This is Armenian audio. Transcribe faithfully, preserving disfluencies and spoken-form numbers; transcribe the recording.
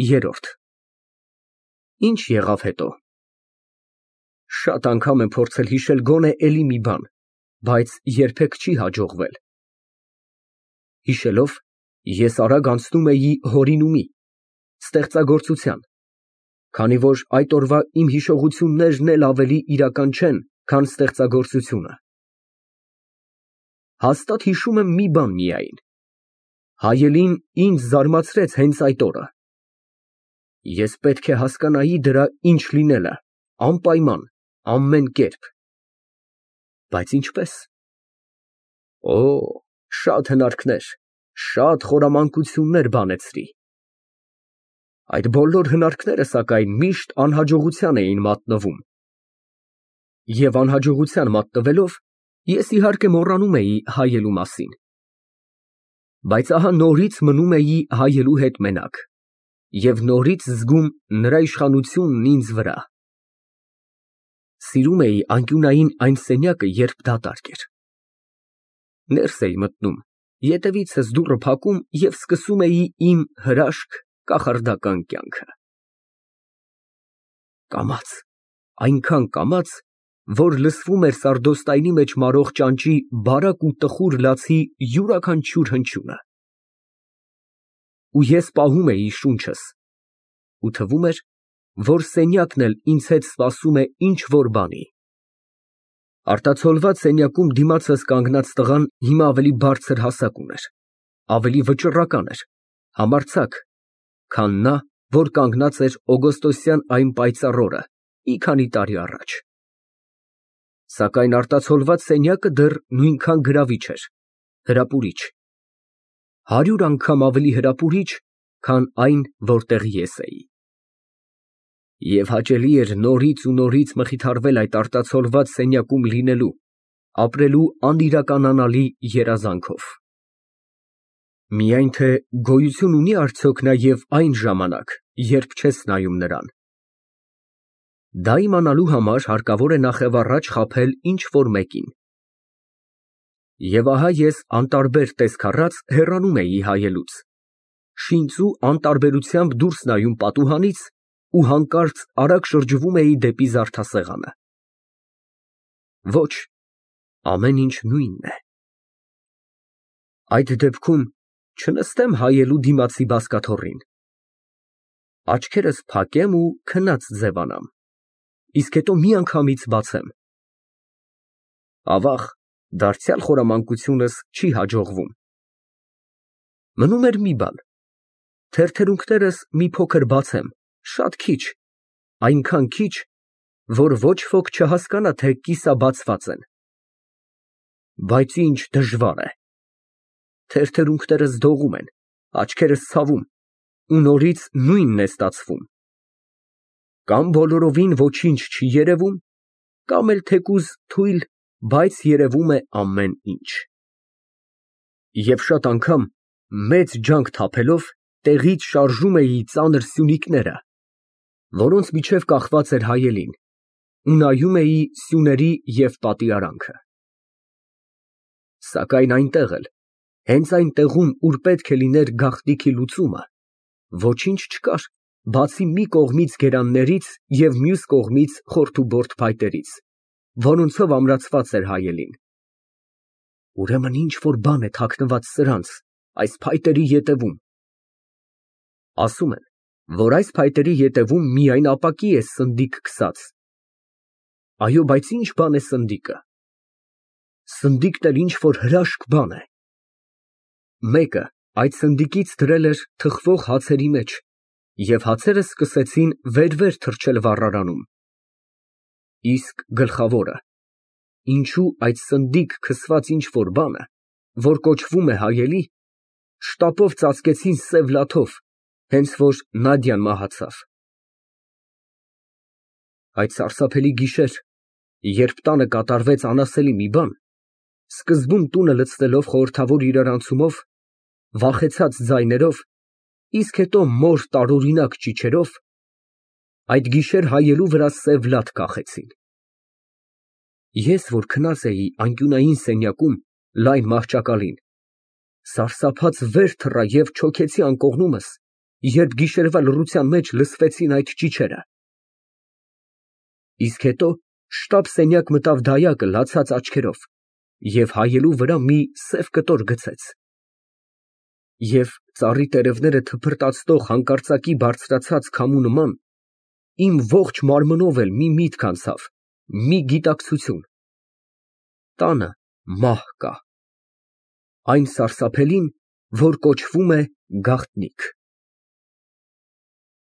Երրորդ Ինչ եղավ հետո։ Շատ անգամ եմ փորձել հիշել գոնե էլի մի բան, բայց երբեք չի հաջողվել։ Հիշելով, ես արագ անցնում էի հորինումի, ստեղծագործության, քանի որ այդ օրվա իմ հիշողություններն էլ ավելի իրական չեն, քան ստեղծագործությունը։ Հաստատ հիշում եմ մի բան միայն. հայելին ինձ զարմացրեց հենց այդ օրը։ Ես պետք է հասկանայի դրա ինչ լինելը, անպայման, ամեն կերպ։ Բայց ինչպե՞ս։ Օ, շատ հնարքներ, շատ խորամանկություններ բանեցրի։ Այդ բոլոր հնարքները, սակայն, միշտ անհաջողության էին մատնվում։ Եվ անհաջողության մատնվելով, ես իհարկե մոռանում էի հայելու մասին։ Բայց ահա նորից մնում էի հայելու հետ մենակ և նորից զգում նրա իշխանությունն ինձ վրա։ Սիրում էի անկյունային այն սենյակը, երբ դատարկ էր։ Ներս էի մտնում, ետևիցս դուռը փակում և սկսում էի իմ հրաշք, կախարդական կյանքը։ Կամաց, այնքան կամաց, որ լսվում էր սարդոստայնի մեջ մարող ճանճի բարակ ու տխուր լացի յուրաքանչյուր հնչյունը։ Ու ես պահում էի շունչս, ու թվում էր, որ սենյակն էլ ինձ հետ սպասում է ինչ֊որ բանի։ Արտացոլված սենյակում դիմացս կանգնած տղան հիմա ավելի բարձր հասակ ուներ, ավելի վճռական էր, համարձակ, քան նա, որ կանգնած էր օգոստոսյան այն պայծառ օրը մի քանի տարի առաջ։ Սակայն արտացոլված սենյակը դեռ նույնքան գրավիչ էր, հրապուրիչ, հարյուր անգամ ավելի հրապուրիչ, քան այն, որտեղ ես էի։ Եվ հաճելի էր նորից ու նորից մխիթարվել այդ արտացոլված սենյակում լինելու, ապրելու անիրականանալի երազանքով։ Միայն թե գոյություն ունի՞ արդյոք նաև այն ժամանակ, երբ չես նայում նրան։ Դա իմանալու համար հարկավոր է նախևառաջ խաբել ինչ֊որ մեկին։ Եվ ահա ես անտարբեր տեսք առած հեռանում էի հայելուց, շինծու անտարբերությամբ դուրս նայում պատուհանից ու հանկարծ արագ շրջվում էի դեպի զարդասեղանը։ Ոչ, ամեն ինչ նույնն է։ Այդ դեպքում չնստեմ հայելու դիմացի բազկաթոռին։ Աչքերս փակեմ ու քնած ձևանամ, իսկ հետո միանգամից բացեմ։ Ավաղ, դարձյալ խորամանկությունս չի հաջողվում։ Մնում էր մի բան. թեթերունքներս մի փոքր բացեմ, շատ քիչ, այնքան քիչ, որ ոչ ոք չհասկանա, թե կիսաբացված են։ Բայց ինչ դժվար է։ Թերթերունքներս դողում են, աչքերս ցավում, ու նորից նույնն է ստացվում։ Կամ բոլորովին ոչինչ չի երևում, կամ էլ թեկուզ թույլ, բայց երևում է ամեն ինչ։ Եվ շատ անգամ, մեծ ջանք թափելով, տեղից շարժում էի ծանր սյունիկները, որոնց միջև կախված էր հայելին, ու նայում էի սյուների և պատի արանքը։ Սակայն այնտեղ էլ, հենց այն տեղում, ուր պետք է լիներ գաղտնիքի լուծումը, ոչինչ չկար, բացի մի կողմից գերաններից և մյուս կողմից խորթուբորթ փայտերից, որոնցով ամրացված էր հայելին։ Ուրեմն ինչ֊որ բան է թաքնված սրանց, այս փայտերի ետևում։ Ասում են, որ այս փայտերի ետևում միայն ապակի է սնդիկ քսած։ Այո, բայց ի՞նչ բան է սնդիկը։ Սնդիկն էլ ինչ֊որ հրաշք բան է։ Մեկը այդ սնդիկից դրել էր թխվող հացերի մեջ, և հացերը սկսեցին վեր֊վեր թռչել վառարանում։ Իսկ գլխավորը, ինչու այդ սնդիկ քսված ինչ֊որ բանը, որ կոչվում է հայելի, շտապով ծածկեցին սև լաթով, հենց որ Նադյան մահացավ։ Այդ սարսափելի գիշեր, երբ տանը կատարվեց անասելի մի բան, սկզբում տունը լցնելով խորհրդավոր իրարանցումով, վախեցած ձայներով, իսկ հետո մոր տարօրինակ ճիչերով, այդ գիշեր հայելու վրա սև լաց կախեցին։ Ես, որ քնած էի անկյունային սենյակում, լայն մահճակալին, սարսափած վեր թռա և չոքեցի անկողնումս, երբ գիշերվա լռության մեջ լսվեցին այդ ճիչերը։ Իսկ հետո շտապ սենյակ մտավ դայակը լացած աչքերով և հայելու վրա մի սև կտոր գցեց։ Եվ ծառի տերևները թփրտացնող հանկարծակի բարձրացած քամու նման իմ ողջ մարմնով էլ մի միտք անցավ, մի գիտակցություն. տանը մահ կա, այն սարսափելին, որ կոչվում է գաղտնիք։